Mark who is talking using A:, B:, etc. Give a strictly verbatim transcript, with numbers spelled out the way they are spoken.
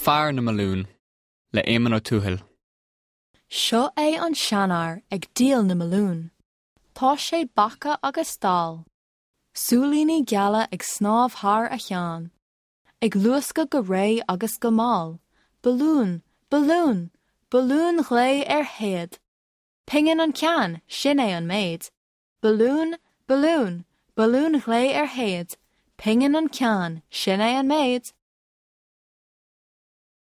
A: Fear na mBalún le Éamonn Ó Tuathail.
B: Seo é an seanfhear ag díol na mbalún. Tá sé bacach agus dall. Súilíní geala ag snámh thar a cheann. Ag luascadh go réidh agus go mall, Balún, balún, balún glé ar théad. Pingin an ceann, sin é an méid. Balún, balún, balún glé ar théad, Pingin an ceann, sin é an méid.